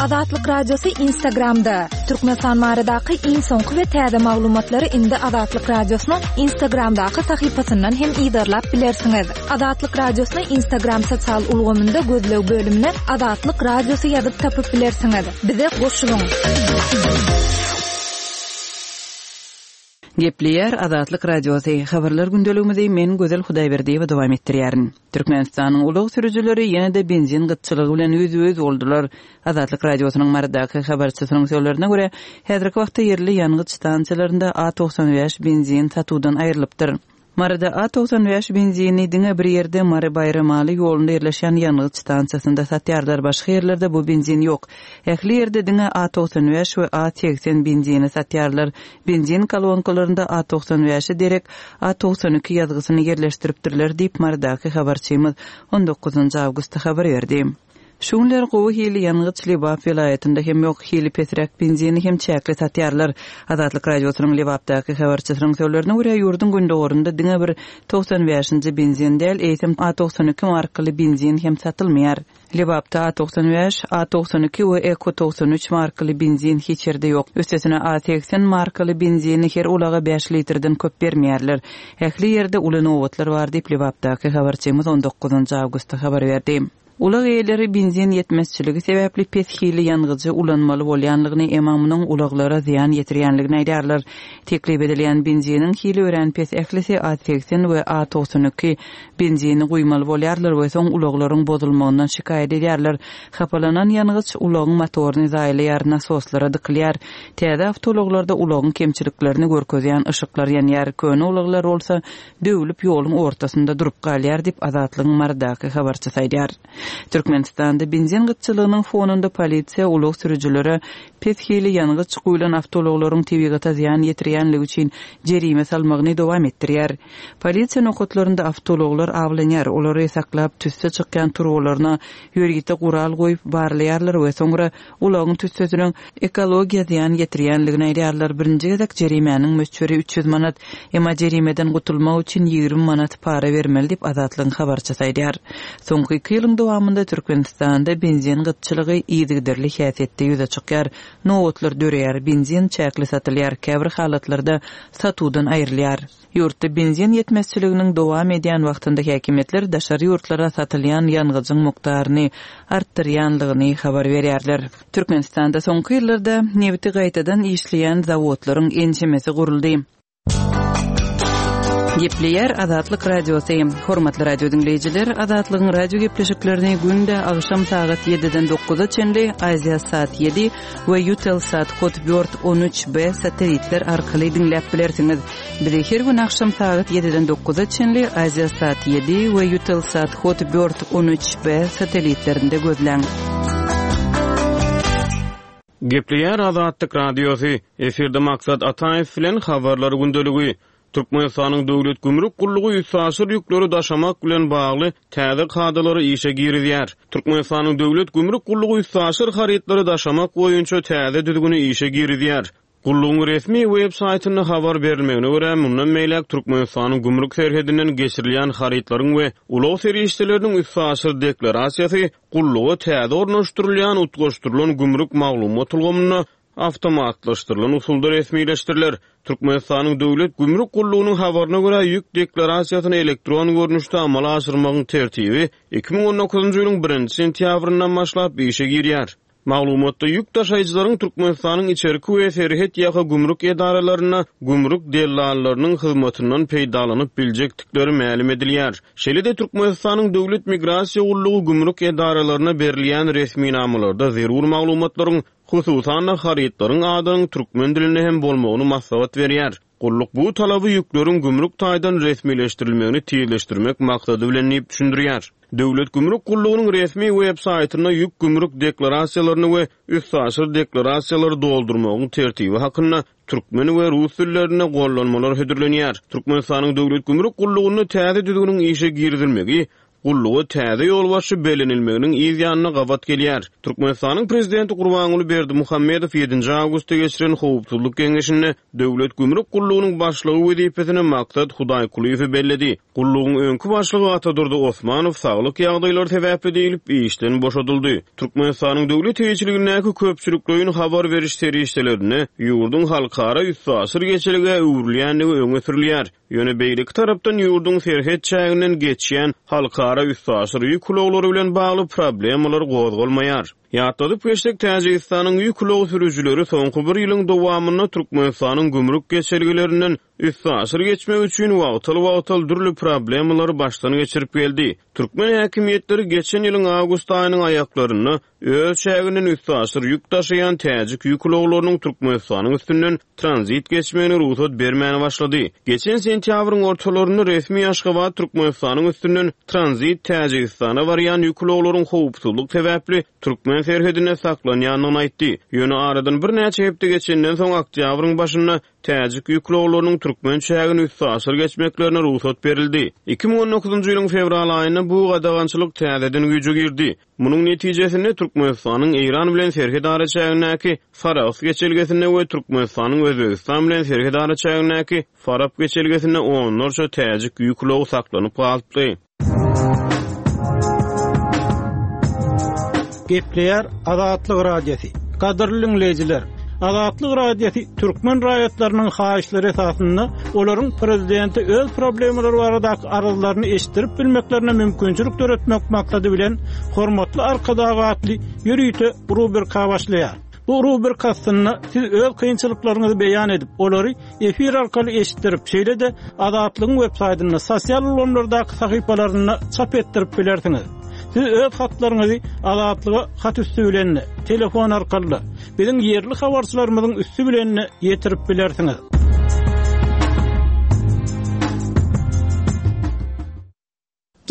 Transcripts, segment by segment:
Azatlyk Radiosy Instagramda! Türkmenistan baradaky iň soňky we täze maglumatlary indi Azatlyk Radiosynyň Instagramdaky sahypasyndan hem yzarlap bilersiňiz. Azatlyk Radiosyny Instagram sosial ulgamynda gözleg bölümine Azatlyk Radiosy ýazyp tapyp bilersiňiz. Bize goşulyň! Gepleýär Azatlyk Radiosy, Habarlar gündeligimizi men Gözel Hudaýberdiýewa dowam etdirýärin. Türkmenistanyň ulag sürüjileri ýene-de benzin gytçylygy bilen ýüzbe-ýüz boldular. Azatlyk Radiosynyň Marydaky habarçysynyň sözlerine görä, häzirki wagtda ýerli ýangyç stansiýalarynda A 95 benzin satuwdan aýrylypdyr. Maryda A 95 benzini diňe bir ýerde Mary-Baýramaly ýolunda ýerleşýän ýangyç stansiýasynda satýarlar, başga ýerlerde bu benzin ýok. Ähli ýerde diňe A 95 we A 80 benzini satýarlar. Benzin kolonkalarynda A 95-e derek A 92 ýazgysyny ýerleşdiripdirler diýip, Marydaky habarçymyz on dokuzynjy awgustda habar berdi. Şu günler gowy hili ýangyç Lebap welaýatynda hem ýok, hili pesräk benzini hem çäkli satýarlar. Azatlyk Radiosynyň Lebapdaky habarçysynyň sözlerine görä, ýurduň gündogarynda diňe bir 95-nji benzin däl, eýsem A 92 markaly benzin hem satylmaýar. Lebapda A 95, A 92 we Eko 93 markaly benzin hiç ýerde ýok. Üstesine A 80 markaly benzini her ulaga bäş litrden köp bermeýärler. Ähli ýerde uly nobatlar bar diýip, Lebapdaky habarçymyz on dokuzynjy awgustda habar berdi. Ulag eýeleri benzin ýetmezçiligi sebäpli pes hilli ýangyjy ulanmaly bolýanlygyny, emma munuň ulaglara zyýan ýetirýänligini aýdýarlar. Teklip edilýän benziniň hili örän pes, ählisi A 80 we A 92 benzini guýmaly bolýarlar we soň ulaglaryň bozulmagyndan şikaýat edýärler. Hapalanan ýangyç ulagyň motoryny zaýalaýar, nasoslara dykylýar. Täze awtoulaglarda ulagyň kemçiliklerini görkezýän yşyklar ýanýar, köne ulaglar bolsa döwlüp ýoluň ortasynda durup galýar diýip, Azatlygyň Marydaky habarçysy aýdýar. Türkmenistanda benzin gytçylygynyň fonunda polisiýa ulag sürüjilere pes hili ýangyç guýlan awtoulaglaryň tebigata zyýan ýetirýänligi üçin jerime salmagyny dowam etdirýär. Polisiýa nokatlarynda awtoulaglar awlanýar, olary saklap tüsse çykýan turbalaryna ýörite gural goýup barlaýarlar we soňra ulagyň tüssesiniň ekologiýa zyýan ýetirýänligini aýdýarlar. Birinji gezek jerimäniň möçberi 300 manat. Emma jerimeden gutulmak üçin 20 manat para bermeli diýip, Azatlygyň habarçysy aýdýar. Soňky iki ýylyň dowamynda Türkmenistanda benzin gytçylygy yzygiderli häsiýetde ýüze çykýar. Nobatlar döreýär, benzin çäkli satylýar, käbir halatlarda satuwdan aýrylýar. Ýurtda benzin ýetmezçiliginiň dowam edýän wagtynda häkimiýetler daşary ýurtlara satylýan ýangyjyň mukdaryny artdyrýanlygyny habar berýärler. Türkmenistanda soňky ýyllarda nebiti gaýtadan işleýän zawodlaryň ençemesi guruldy. Gepleýär Azatlyk Radiosy. Hormatly radio diňleýjiler, Azatlygyň radio gepleşiklerini günde agşam sagat ýediden dokuza çenli Aziasat ýedi we Eutelsat Hotbird 13 B satelitler arkaly diňläp bilersiňiz. Bizi her gün agşam sagat ýediden dokuza çenli Aziasat ýedi we Eutelsat Hotbird 13 B satelitlerinde gözläň. Gepleýär Azatlyk Radiosy, Efirde Maksat Ataýew bilen Habarlar gündeligi. Türkmenistanyň Döwlet gümrük gullugy üstaşyr ýükleri daşamak bilen bagly täze kadalary işe girizýär. Türkmenistanyň Döwlet gümrük gullugy üstaşyr harytlary daşamak boýunça täze düzgüni işe girizýär. Gullugyň resmi web saýtynda habar berilmegine görä, mundan beýläk Türkmenistanyň gümrük serhedinden geçirilýän harytlaryň we ulag serişdeleriniň üstaşyr deklarasiýasy gulluga täze ornaşdyrylýan utgaşdyrylan gümrük maglumat ulgamynda awtomatlaşdyrylan usulda resmileşdiriler. Türkmenistanyň Döwlet gümrük gullugynyň habaryna görä, ýük deklarasiýasyny elektron görnüşde amala aşyrmagyň tertibi 2019-njy ýylyň birinji sentýabryndan başlap işe girýär. Maglumatda ýük daşaýjylaryň Türkmenistanyň içerki we serhet ýaka gümrük edaralarynda gümrük dellallarynyň hyzmatyndan peýdalanyp biljekdikleri mälim edilýär. Şeýle-de Türkmenistanyň Döwlet migrasiýa gullugy gümrük edaralaryna berilýän resminamalarda zerur maglumatlaryň, hususan-da, harytlaryň adynyň türkmen dilinde hem bolmagyny maslahat berýär. Gulluk bu talaby ýükleriň gümrük taýdan resmileşdirilmegini tizleşdirmek maksady bilen diýip düşündirýär. Döwlet gümrük gullugynyň resmi web saýtynda ýük gümrük deklarasiýalaryny we üstaşyr deklarasiýalary doldurmagyň tertibi hakynda türkmen we rus dillerinde gollanmalar hödürlenýär. Türkmenistanyň Döwlet gümrük gullugynda täze düzgüniň işe girizilmegi. Gulluga täze ýolbaşçy bellenilmeginiň yz ýanyna gabat gelýär. Türkmenistanyň Prezidenti Gurbanguly Berdimuhamedow ýedinji awgustda geçiren Howpsuzlyk geňeşinde Döwlet gümrük gullugynyň başlygy wezipesine Maksat Hudaýkulyýewi belledi. Gullugyň öňki başlygy Atadurdy Osmanow saglyk ýagdaýlary sebäpli diýlip, işden boşadyldy. Türkmenistanyň döwlet eýeçiligindäki köpçülikleýin habar beriş serişdelerinde ýurduň halkara üstaşyr geçelgä öwrülýändigi öňe sürülýär. Ýöne beýleki tarapdan ýurduň serhet çäginden geçýän halkara üstaşyr ýük ulaglary bilen bagly problemalar gozgalmaýar. Ýatladyp geçsek, Täjigistanyň ýük ulag sürüjileri soňky bir ýylyň dowamynda Türkmenistanyň gümrük geçelgelerinden üstaşyr geçmek üçin wagtal-wagtal dürli problemalary başdan geçirip geldi. Türkmen häkimiýetleri geçen ýylyň awgust aýynyň aýaklarynda Öz çäginden üstaşyr ýük daşaýan täjik ýük ulaglarynyň Türkmenistanyň üstünden tranzit geçmegine rugsat bermäne başlady. Geçen sentýabryň ortalarynda resmi Aşgabat Türkmenistanyň üstünden tranzit Täjigistana barýan ýük ulaglaryň howpsuzlyk sebäpli türkmen serhedinde saklanýandygyny aýtdy. Ýöne aradan birnäçe hepde geçenden soň oktýabryň başynda Täjik ýük ulaglarynyň türkmen çägini üstaşyr geçmeklerine rugsat berildi. 2019-njy ýylyň fewral aýynda bu gadagançylyk täzeden güýje girdi. Munuň netijesinde, Türkmenistanyň Eýran bilen serhet araçägindäki Sarahs geçelgesinde we Türkmenistanyň Özbegistan bilen serhet araçägindäki Farap geçelgesinde onlarça täjik ýük ulagy saklanyp galypdy. Gepleýär Azatlyk Radiosy. Gadyrly diňleýjiler! Azatlyk Radiosy türkmen raýatlarynyň haýyşlary esasynda olaryň prezidente öz problemalary baradaky arzlaryny eşitdirip bilmeklerine mümkinçilik döretmek maksady bilen Hormatly Arkadag atly ýörite rubrika başlaýar. Bu rubrika astynda siz öz kynçylyklaryňyzy beýan edip, olary efir arkaly eşitdirip, şeýle-de Azatlygyň websaýtynda, sosial ulgamlardaky sahypalarynda çap etdirip bilersiňiz. Siz öz hatlaryňyzy Azatlyga hat üsti bilen-de, telefon arkaly-da, biziň ýerli habarçylarymyzyň üsti bilen-de ýetirip bilersiňiz.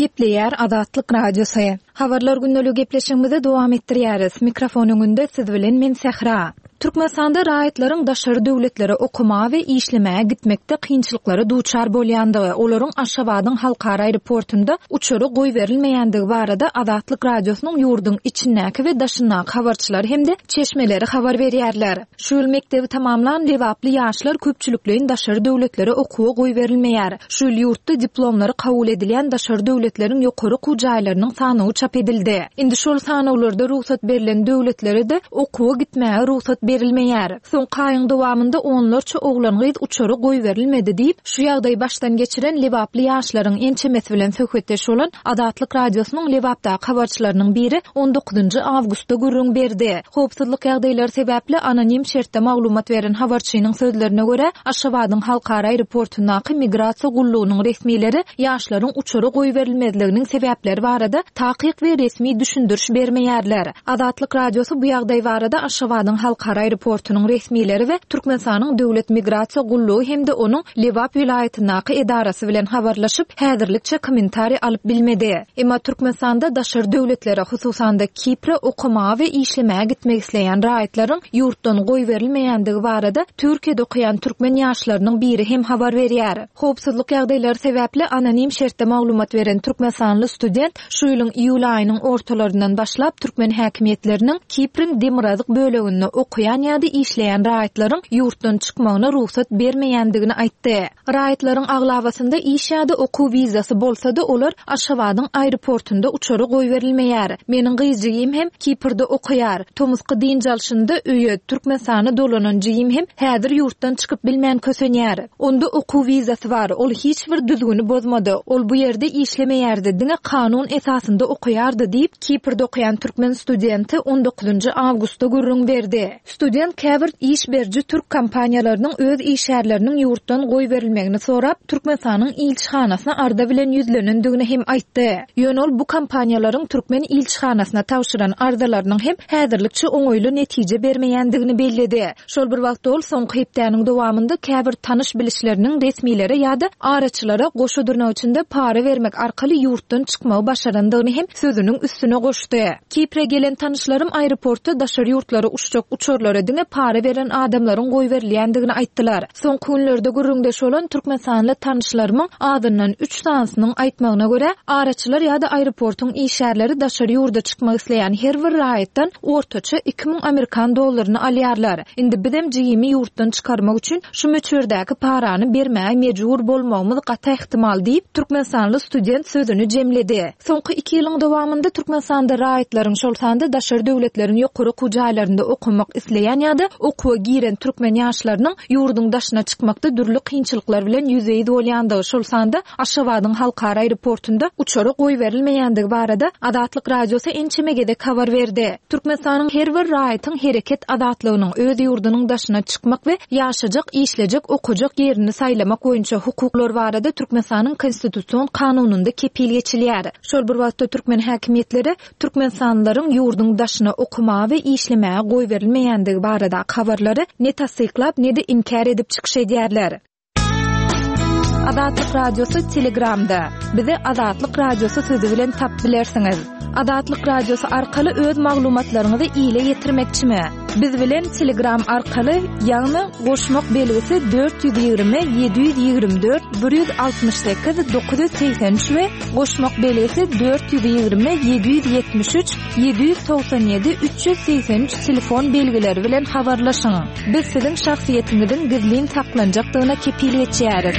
Gepleýär Azatlyk Radiosy. Habarlar gündeligi gepleşigimizi dowam etdirýäris. Mikrofon öňünde siz bilen men Sähra. Türkmenistanda raýatlaryň daşary döwletlere okamaga we işlemäge gitmekde kynçylyklara duçar bolýandygy, olaryň Aşgabadyň halkara aeroportunda uçara goýberilmeýändigi barada Azatlyk Radiosynyň ýurduň içindäki we daşyndaky habarçylary hem-de çeşmeleri habar berýärler. Şu ýyl mekdebi tamamlan lebaply ýaşlar köpçülikleýin daşary döwletlere okuwa goýberilmeýär. Şu ýyl ýurtda diplomlary kabul edilýän daşary döwletleriň ýokary okuw jaýlarynyň sanawy çap edildi. Indi şol sanawlarda rugsat berlen döwletlere-de okuwa gitmäge rugsat berilmeýär. Soňky aýyň dowamynda onlarça oglan-gyz uçara goýberilmedi diýip, şu ýagdaýy başdan geçiren lebaply ýaşlaryň ençemesi bilen söhbetdeş bolan Azatlyk Radiosynyň Lebapdaky habarçylarynyň biri on dokuzynjy awgustda gürrüň berdi. Howpsuzlyk ýagdaýlary sebäpli anonim şertde maglumat beren habarçynyň sözlerine görä, Aşgabadyň halkara aeroportundaky migrasiýa gullugynyň resmileri ýaşlaryň uçara goýberilmezliginiň sebäpleri barada takyk we resmi düşündiriş bermeýärler. Azatlyk Radiosy bu ýagdaý barada Aşgabadyň halkara aeroportunyň resmileri we Türkmenistanyň Döwlet migrasiýa gullugy hem-de onuň Lebap welaýatyndaky edarasy bilen habarlaşyp, häzirlikçe kommentariý alyp bilmedi. Emma Türkmenistanda daşary döwletlere, hususan-da Kipre okamaga we işlemäge gitmek isleýän raýatlaryň ýurtdan goýberilmeýändigi barada Türkiýede okaýan türkmen ýaşlarynyň biri hem habar berýär. Howpsuzlyk ýagdaýlary sebäpli anonim şertde maglumat beren türkmenistanly student Şu ýylyň iýul aýynyň ortalaryndan başlap türkmen häkimiýetleriniň Kipriň demirgazyk böleginde okaýan ýa-da işleýän raýatlaryň ýurtdan çykmagyna rugsat bermeýändigini aýtdy. Raýatlaryň aglabasynda iş ýa-da okuw wizasy bolsa-da, olar Aşgabadyň aeroportunda uçara goýberilmeýär. Meniň gyz jigim hem Kiprde okaýar. Tomusky dynç alşynda öýe, Türkmenistana dolanan jigim hem häzir ýurtdan çykyp bilmän kösenýär. Onda okuw wizasy bar, ol hiç bir düzgüni bozmady, ol bu ýerde işlemeýärdi, diňe kanun esasynda okaýardy diýip, Kiprde okaýan türkmen studenti on dokuzynjy awgustda gürrüň berdi. Student käbir iş beriji türk kompaniýalarynyň öz işgärleriniň ýurtdan goýberilmegini sorap, Türkmenistanyň ilçihanasyna arza bilen ýüzlenendigini hem aýtdy. Ýöne ol bu kompaniýalaryň türkmen ilçihanasyna tabşyran arzalarynyň hem häzirlikçe oňaýly netije bermeýändigini belledi. Şol bir wagtda ol soňky hepdäniň dowamynda käbir tanyş-bilişleriniň resmilere ýa-da araçylara goşa dyrnak içinde para bermek arkaly ýurtdan çykmagy başarandygyny hem sözüniň üstüne goşdy. Kipre gelen tanyşlarym aeroportda daşary ýurtlara uçjak uçarlary. Uçarlara diňe para beren adamlaryň goýberilýändigini aýtdylar. Soňky günlerde gürrüňdeş bolan türkmenistanly tanyşlarymyň azyndan üç sanysynyň aýtmagyna görä, araçylar ýa-da aeroportuň işgärleri daşary ýurda çykmak isleýän her bir raýatdan ortaça 2000 amerikan dollaryny alýarlar. Indi bizem jigimi ýurtdan çykarmak üçin şu möçberdäki parany bermäge mejbur bolmagymyz gaty ähtimal diýip, türkmenistanly student sözüni jemledi. Soňky iki ýylyň dowamynda Türkmenistanda raýatlaryň, şol sanda daşary döwletleriň ýokary okuw jaýlarynda okamak isleýän ýa-da okuwa giren türkmen ýaşlarynyň ýurduň daşyna çykmakda dürli kynçylyklar bilen ýüzbe-ýüz bolýandygy, şol sanda Aşgabadyň halkara aeroportunda uçara goýberilmeýändigi barada Azatlyk Radiosy ençeme gezek habar berdi. Türkmenistanyň her bir raýatyň hereket azatlygynyň, öz ýurdunyň daşyna çykmak we ýaşajak, işlejek, okajak ýerini saýlamak boýunça hukuklary barada Türkmenistanyň Konstitusion kanunynda kepil geçilýär. Şol bir wagtda türkmen häkimiýetleri türkmenistanlylaryň ýurduň daşyna okamaga we işlemäge goýberilmeýändigi baradaky habarlary ne tassyklap, ne-de inkär edip çykyş edýärler. Azatlyk Radiosy Telegramda. Bizi Azatlyk Radiosy sözi bilen tapyp bilersiňiz. Azatlyk Radiosy arkaly öz maglumatlaryňyzy ile ýetirmekçimi? Biz bilen Telegram arkaly, ýagny goşmak belgisi 420 724 168 983 we goşmak belgisi 420 773 797 383 telefon belgileri bilen habarlaşyň. Biz siziň şahsyýetiňiziň gizlin saklanjakdygyna kepil geçýäris.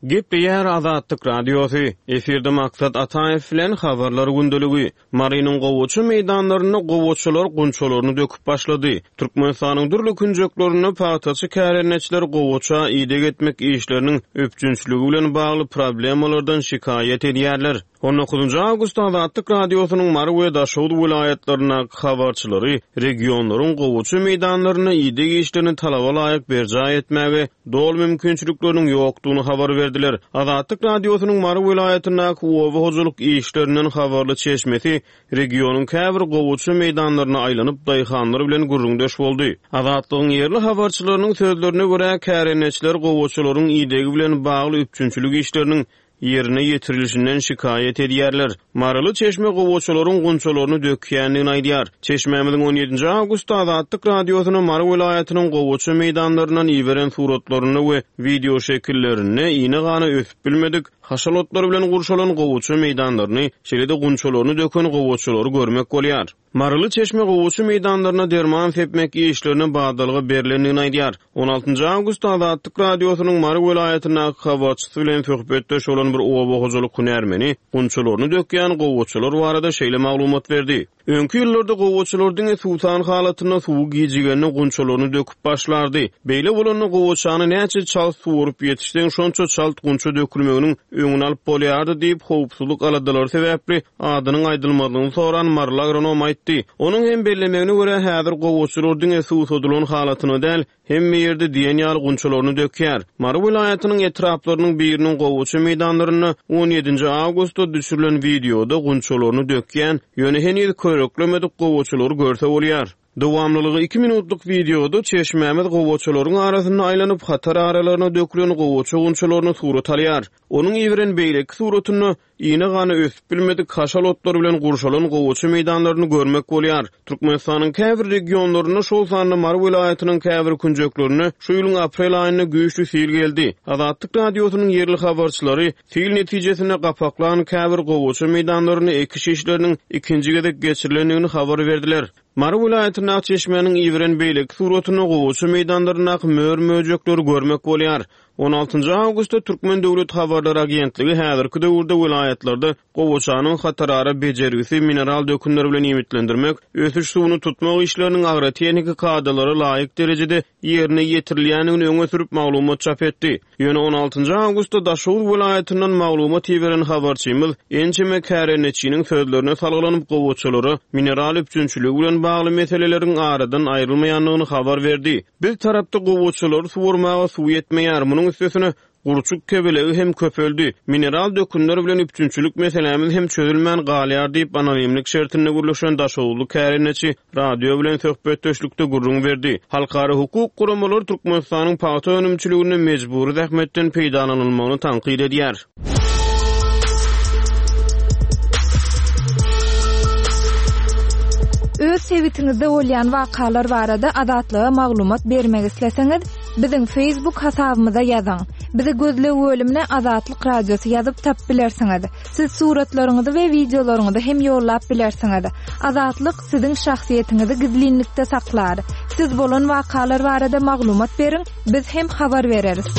Gepleýär Azatlyk Radiosy, Efirde Maksat Ataýew bilen Habarlar gündeligi. Marynyň gowaça meýdanlarynda gowaçalar gunçalaryny döküp başlady. Türkmenistanyň dürli künjeklerinde pagtaçy kärendeçiler gowaça ideg etmek işleriniň üpjünçiligi bilen bagly problemalardan şikaýat edýärler. On dokuzynjy awgustda Azatlyk Radiosynyň Mary we Daşoguz welaýatlaryndaky habarçylary regionlaryň gowaça meýdanlarynda ideg işlerini talaba laýyk berjaý etmäge doly mümkinçilikleriniň ýokdugyny habar berdiler. Azatlyk Radiosynyň Mary welaýatyndaky oba hojalyk işlerinden habarly çeşmesi regionyň käbir gowaça meýdanlaryna aýlanyp, daýhanlar bilen gürrüňdeş boldy. Azatlygyň ýerli habarçylarynyň sözlerine görä, kärendeçiler gowaçalaryň idegi bilen bagly üpjünçilik işleriniň ýerine ýetirilişinden şikaýat edýärler. Maryly çeşme gowaçalaryň gunçalaryny dökýändigini aýdýar. Çeşmämiziň on ýedinji awgustda Azatlyk Radiosyna Mary welaýatynyň gowaça meýdanlaryndan iberen suratlarynda we wideoşekillerinde ine-gana ösüp bilmedik, haşal otlar bilen gurşalan gowaça meýdanlaryny, şeýle-de gunçalaryny döken gowaçalary görmek bolýar. Maryly çeşme gowaça meýdanlaryna derman sepmek işlerine badalga berlendigini aýdýar. On altynjy awgustda Azatlyk Radiosynyň Mary welaýatyndaky habarçysy bilen söhbetdeş bolan bir oba hojalyk hünärmeni gunçalaryny dökýän gowaçalar barada şeýle maglumat berdi, Öňki ýyllarda gowaçalar diňe suwsan halatynda suwy gijigende gunçalaryny döküp başlardy. Beýle bolanda gowaçany näçe çalt suwaryp ýetişseň, şonça çalt gunça dökülmeginiň öňüni alyp bolýardy diýip, howpsuzlyk aladalary sebäpli adynyň aýdylmazlygyny soran maryly agronom aýtdy. Onuň hem bellemegine görä, häzir gowaçalar diňe suwsadylan halatynda däl, hemme ýerde diýen ýaly gunçalaryny dökýär. Mary welaýatynyň etraplarynyň biriniň gowaça meýdanlarynda on ýedinji awgustda düşürilen wideoda gunçalaryny dökýän, ýöne heniz köreklemedik gowaçalary görse bolýar. Dowamlylygy iki minutlyk wideoda çeşmämiz gowaçalaryň arasynda aýlanyp, hatar aralaryna dökülen gowaça gunçalaryny surat alýar. Onuň iberen beýleki suratynda Ine-gana ösüp bilmedik haşal otlar bilen gurşalan gowaça meýdanlaryny görmek bolýar. Türkmenistanyň käbir regionlarynda, şol sanda Mary welaýatynyň käbir künjeklerinde şu ýylyň aprel aýynda güýçli sil geldi. Azatlyk Radiosynyň ýerli habarçylary sil netijesinde gapaklan käbir gowaça meýdanlarynda ekiş işleriniň ikinji gezek geçirilendigini habar berdiler. Mary welaýatyndaky çeşmäniň iberen beýleki suratynda gowaça meýdanlaryndaky mör-möjekleri görmek bolýar. On altynjy awgustda Türkmen döwlet habarlar agentligi häzirki döwürde welaýatlarda gowaçanyň hatarara bejergisi, mineral dökünler bilen iýmitlendirmek, ösüş suwuny tutmak işleriniň agrotehniki kadalara laýyk derejede ýerine ýetirilýändigini öňe sürüp maglumat çap etdi. Ýöne on altynjy awgustda Daşoguz welaýatyndan maglumat iberen habarçymyz ençeme kärendeçiniň sözlerine salgylanyp gowaçalara mineral üpjünçiligi bilen bagly meseleleriň aradan aýrylmaýandygyny habar berdi. Biz tarapda gowaçalary suwarmaga suw ýetmeýär, munuň üstesine, gurçuk kebelegi hem köpeldi. Mineral dökünler bilen üpjünçilik meselämiz hem çözülmän galýar diýip, anonimlik şertinde gürleşen daşoguzly kärendeçi radio bilen söhbetdeşlikde gürrüň berdi. Halkara hukuk guramalary Türkmenistanyň pagta önümçiliginde mejbury zähmetden peýdalanylmagyny tankyt edýär. Öz. sebitiňizde bolýan wakalar barada Azatlyga maglumat bermek isleseňiz, biziň Facebook hasabymyza ýazyň. Bizi gözleg bölümine Azatlyk Radiosy ýazyp tapyp bilersiňiz. Siz suratlaryňyzy we wideolaryňyzy hem ýollap bilersiňiz. Azatlyk siziň şahsyýetiňizi gizlinlikde saklar. Siz bolan wakalar barada maglumat beriň, biz hem habar bereris.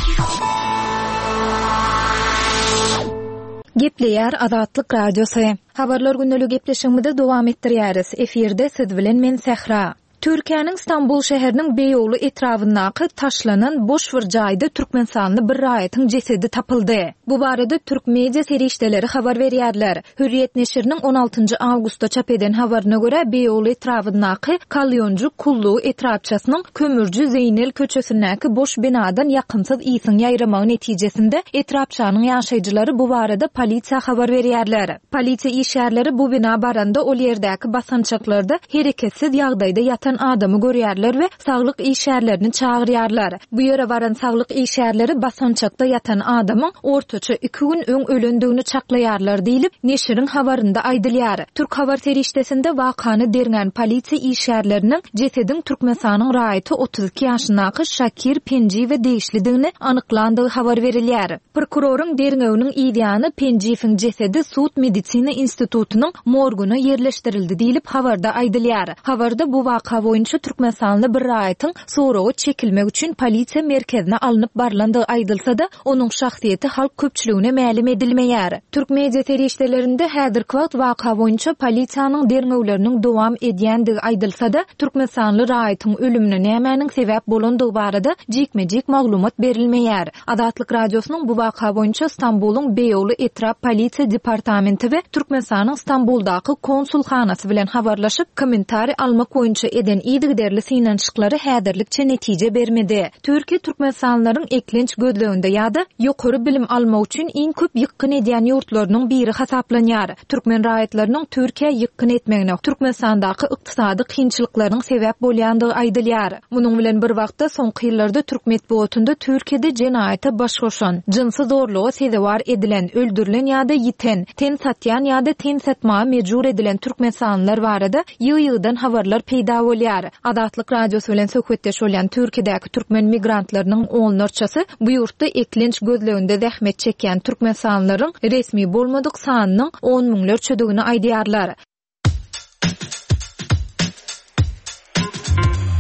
Gepleýär Azatlyk Radiosy. Habarlar gündeli gepleşigimizi dowam etdirýäris. Efirde siz bilen men Sähra. Türkiýäniň Stambul şäheriniň Beýogly etrabyndaky taşlanan boş bir jaýda türkmenistanly bir raýatyň jesedi tapyldy. Bu barada türk media serişdeleri habar berýärler. Hürriýet neşiriniň on altynjy awgustda çap eden habaryna görä, Beýogly etrabyndaky Kalýonjy Kullugy etrapçasynyň Kömürji Zeýnel köçesindäki boş binadan ýakymsyz ysyň ýaýramagy netijesinde etrapçanyň ýaşaýjylary bu barada polisiýa habar berýärler. Polisiýa işgärleri bu bina baranda ol ýerdäki basgançaklarda hereketsiz ýagdaýda ýatan adamy görýärler we saglyk işgärlerini çagyrýarlar. Bu ýere baran saglyk işgärleri basgançakda ýatan adamyň ortaça iki gün öň ölendigini çaklaýarlar diýlip, neşiriň habarynda aýdylýar. Türk habar serişdesinde wakany derňän polisiýa işgärleriniň jesediň Türkmenistanyň raýaty 32 ýaşyndaky Şakir Penjiýewe degişlidigini anyklandygy habar berilýär. Prokuroryň derňewiniň yzýany Penjiýewiň jesedi sud-medisina institutynyň morguna ýerleşdirildi diýlip, habarda aýdylýar. Habarda bu waka boýunça türkmenistanly bir raýatyň soraga çekilmek üçin polisiýa merkezine alnyp barlandygy aýdylsa-da, onuň şahsyýeti halk köpçüligine mälim edilmeýär. Türk media serişdelerinde häzirki wagt waka boýunça polisiýanyň derňewleriniň dowam edýändigi aýdylsa-da, türkmenistanly raýatyň ölümine nämäniň sebäp bolandygy barada jikme-jik maglumat berilmeýär. Azatlyk Radiosynyň bu waka boýunça Stambulyň Beýogly etrap polisiýa departamenti we Türkmenistanyň Stambuldaky konsulhanasy bilen habarlaşyp, kommentariý almak boýunça eden yzygiderli synanyşyklary häzirlikçe netije bermedi. Türkiýe türkmenistanlylaryň eklenç gözleginde ýa-da ýokary bilim almak üçin iň köp ýykgyn edýän ýurtlarynyň biri hasaplanýar. Türkmen raýatlarynyň Türkiýä ýykgyn etmegine Türkmenistandaky ykdysady kynçylyklaryň sebäp bolýandygy aýdylýar. Munuň bilen bir wagtda, soňky ýyllarda türk metbugatynda Türkiýede jenaýata baş goşan, jynsy zorluga sezewar edilen, öldürilen ýa-da ýiten, ten satýan ýa-da ten satmaga mejbur edilen türkmenistanlylar barada ýygy-ýygydan habarlar peýda bolýar. Azatlyk Radiosy bilen söhbetdeş bolýan Türkiýedäki türkmen migrantlarynyň onlarçasy bu ýurtda eklenç gözleginde zähmet çekýän türkmenistanlylaryň resmi bolmadyk sanynyň on müňlerçedigini aýdýarlar.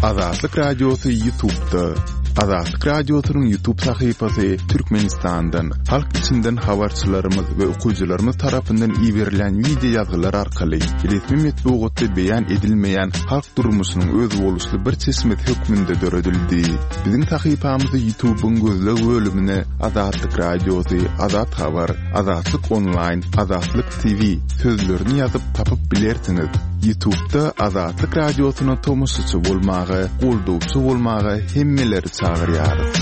Azatlyk Radiosy Ýutubda. Azatlyk Radiosynyň Ýutub sahypasy Türkmenistandan, halk içinden habarçylarymyz we okyjylarymyz tarapyndan iberilen wideo ýazgylar arkaly resmi metbugatda beýan edilmeýän halk durmuşynyň özboluşly bir çeşmesi hökmünde döredildi. Biziň sahypamyzy Ýutubyň gözleg bölümine Azatlyk Radiosy, Azat Habar, Azatlyk Onlaýn, Azatlyk TV sözlerini ýazyp tapyp bilersiňiz. Ýutubda Azatlyk Radiosyna tomaşaçy bolmaga, goldawçy bolmaga hemmeleri çagyrýarys.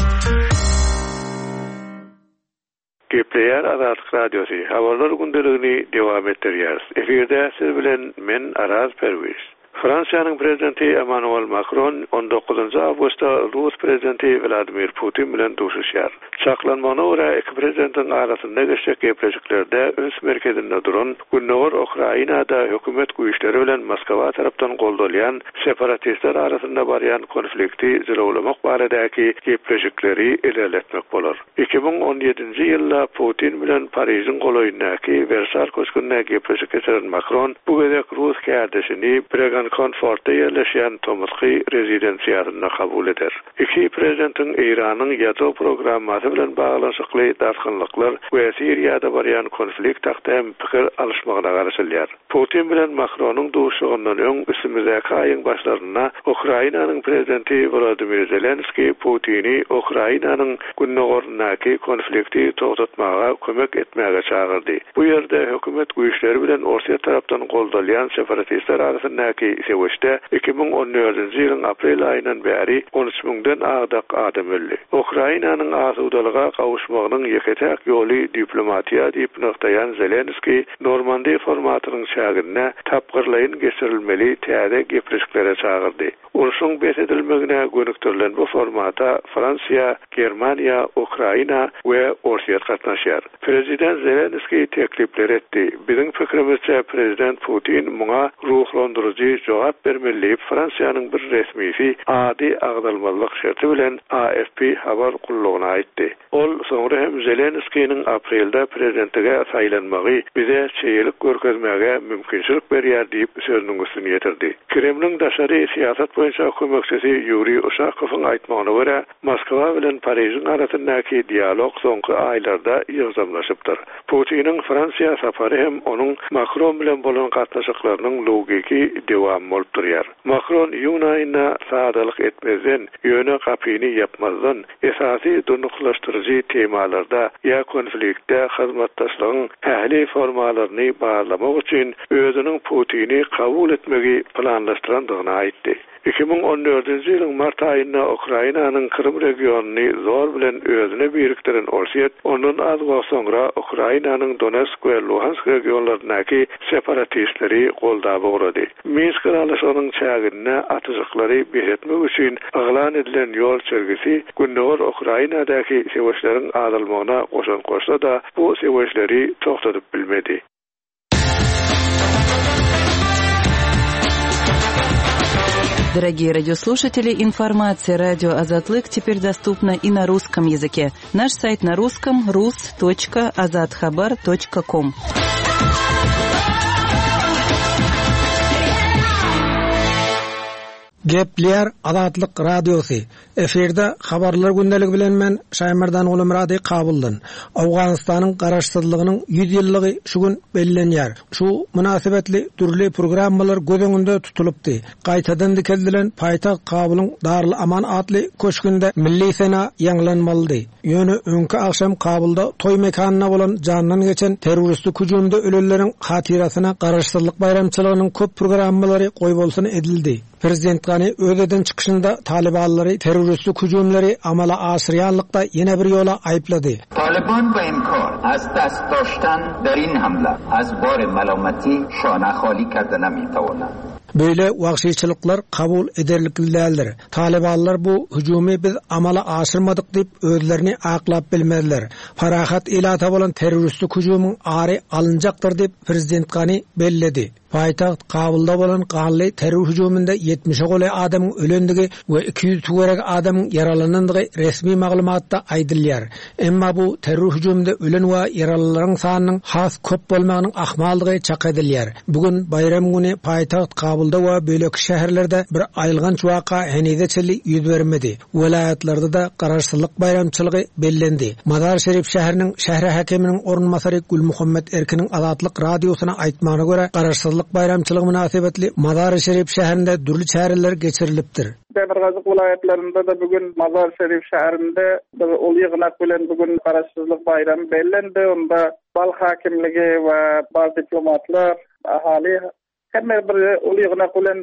Gepleýär Azatlyk Radiosy, Habarlar gündeligini dowam etdirýäris. Efirde siz bilen men Araz Perwiz. Fransiýanyň Prezidenti Emmanuel Makron on dokuzynjy awgustda rus Prezidenti Wladimir Putin bilen duşuşýar. Çaklanmagyna görä, iki prezidentiň arasynda geçjek gepleşiklerde üns merkezinde duran Gündogar Ukrainada hökümet güýçleri bilen Moskwa tarapdan goldalýan separatistler arasynda barýan konflikti jylawlamak baradaky gepleşikleri ilerletmek bolar. 2017-nji ýylda Putin bilen Parižiň golaýyndaky Wersal köşgünde gepleşik geçiren Makron bu gezek rus kärdeşini Bregankonfortda ýerleşýän tomusky rezidensiýasynda kabul eder. Iki prezidentiň Eýranyň ýadro programmasy bilen baglanyşykly dartgynlyklar we Siriýada barýan konflikt hakda hem pikir alyşmagyna garaşylýar. Putin bilen Makronyň duşuşygyndan öň üstümizdäki aýyň başlarynda Ukrainanyň prezidenti Wolodymyr Zelenskiý Putini Ukrainanyň gündogaryndaky konflikti togtatmaga kömek etmäge çagyrdy. Bu ýerde hökümet güýçleri bilen Orsýet tarapdan goldalýan separatistler arasyndaky söweşde 2014-nji ýylyň aprel aýyndan bäri 13 müňden agdak adam öldi. Ukrainanyň asudalyga gowuşmagynyň ýeke-täk ýoly diplomatiýa diýip nygtaýan Zelenskiý, Normandiýa formatynyň çäginde tapgyrlaýyn geçirilmeli täze gepleşiklere çagyrdy. Urşuň bes edilmegine gönükdirilen bu formata Fransiýa, Germaniýa, Ukraina we Orsýet gatnaşýar. Prezident Zelenskiý teklipleri etdi. Biziň pikirimizçe, prezident Putin muňa. Ruhlandyryjy jogap bermeli diýip, Fransiýanyň bir resmisi ady agzalmazlyk şerti bilen AFP habar gullugyna aýtdy. Ol soňra hem Zelenskiniň aprelde prezidentlige saýlanmagy bize çeýelik görkezmäge mümkinçilik berýär diýip, sözüniň üstüni ýetirdi. Kremliň daşary syýasat boýunça kömekçisi Ýuriý Uşakowyň aýtmagyna görä, Moskwa bilen Parižiň arasyndaky dialog soňky aýlarda ýygjamlaşypdyr. Putiniň Fransiýa sapary hem onuň Makron bilen bolan gatnaşyklarynyň logiki dewamy bolup durýar. Makron iýun aýynda sadalyk etmezden, ýöne gapyny ýapmazdan, esasy durnuklaşdyryjy temalarda ýa konfliktde hyzmatdaşlygyň ähli formalaryny barlamak üçin özüniň Putini kabul etmegi planlaşdyrandygyny aýtdy. 2014-nji ýylyň mart aýynda Ukrainanyň Krym regionyny zor bilen özüne birikdiren Orsýet, ondan az wagt soňra Ukrainanyň Donetsk we Luhansk regionlaryndaky separatistleri goldap ugrady. Minsk ylalaşygynyň çäginde atyjyklary bes etmek üçin yglan edilen ýol çelgisi gündogar Ukrainadaky söweşleriň azalmagyna goşant goşsa-da, bu söweşleri togtadyp bilmedi. Дорогие радиослушатели, информация радио Азатлык теперь доступна и на русском языке. Наш сайт на русском rus.azathabar.com. Gepleýär Azatlyk Radiosy, Efirde Habarlar gündeligi bilen men Şaýmerdan Gulumyrady Kabuldan. Owganystanyň Garaşsyzlygynyň 100 ýyllygy şu gün bellenýär. Şu mynasybetli dürli programmalar göz öňünde tutulypdy. Gaýtadan dikeldilen paýtagt Kabulyň Darul Aman atly köşgünde milli sena ýaňlanmalydy. Ýöne öňki agşam Kabulda toý mekanynda bolan jandan geçen terroristik hüjümde ölenleriň hatyrasyna Garaşsyzlyk baýramçylygynyň köp programmalary goýbolsun edildi. Prezident Gani öz eden çykyşynda talybanlary terroristik hüjümleri amala aşyrýanlykda ýene bir ýola aýyplady. Talyban be inkar az dast daştan der in hamle az bar malamati şane hali karde nemi tavanand. Beýle wagşyçylyklar kabul ederlikli däldir. Talybanlar bu hüjümi biz amala aşyrmadyk diýip özlerini aklap bilmezler. Parahat ilata bolan terroristik hüjümiň ary alynjakdyr diýip, prezident Gani belledi. Paýtagt Kabulda bolan ganly terror hüjüminde ýetmişe golaý adamyň ölendigi we 200 töweregi adamyň ýaralanandygy resmi maglumatda aýdylýar. Emma bu terror hüjüminde ölen we ýaralylaryň sanynyň has köp bolmagynyň ahmaldygy çak edilýär. Bu gün baýram güni paýtagt Kabulda we beýleki şäherlerde bir aýylganç waka henize çenli ýüz bermedi. Welaýatlarda-da Garaşsyzlyk baýramçylygy bellendi. Mazar-Şerif şäheriniň şäher häkiminiň orunbasary Gülmuhammet Erkiniň Azatlyk Radiosyna aýtmagyna görä, Garaşsyzlyk baýramçylygy mynasybetli Mazar-Şerif şäherinde dürli çäreler geçirilipdir. Demirgazyk welaýatlarynda-da bu gün Mazar-Şerif şäherinde bir uly ýygnak bilen bu gün Garaşsyzlyk baýramy bellendi. Onda Balh häkimligi we bar diplomatlar, ahali hemme bir uly ýygnak bilen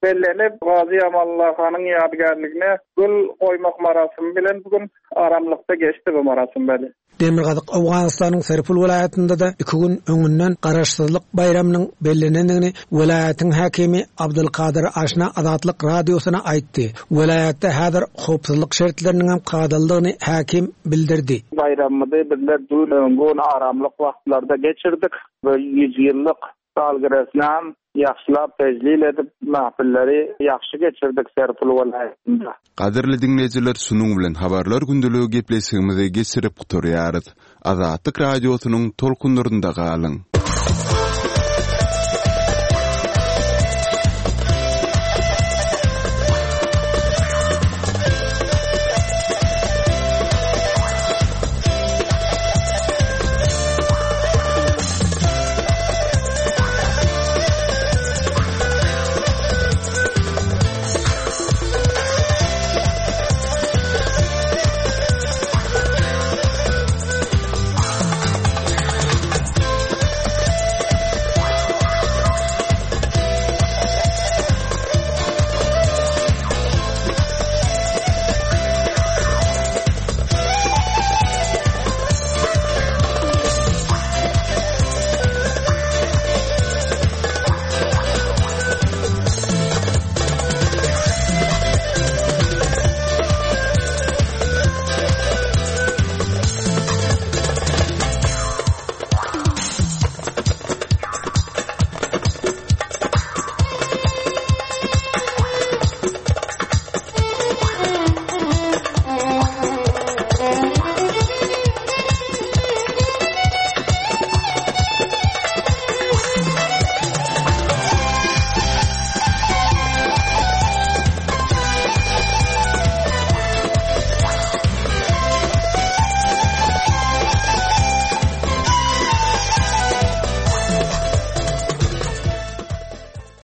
bellenip, Gazy Amanullah hanyň ýadygärligine gül goýmak marasymy bilen bu gün aramlykda geçdi bu marasym beli. Demirgazyk Owganystanyň Serpul welaýatynda-da iki gün öňünden Garaşsyzlyk baýramynyň bellenendigini welaýatyň häkimi Abdulkadyr Aşna Azatlyk Radiosyna aýtdy. Welaýatda häzir howpsuzlyk şertleriniňem kadalydygyny häkim bildirdi. Baýramymyzy bizler dün öňňun aramlyk wagtlarda geçirdik. Bu ýüzýyllyk Salgyresnam ýagşylap tejlil edip mähpilleri ýagşy geçirdik Serpil welaýatynda. Gadyrly diňleýjiler şunuň bilen habarlar gündeligi gepleşigimizi geçirip gutarýarys. Azatlyk Radiosynyň tolkunlarynda galyň.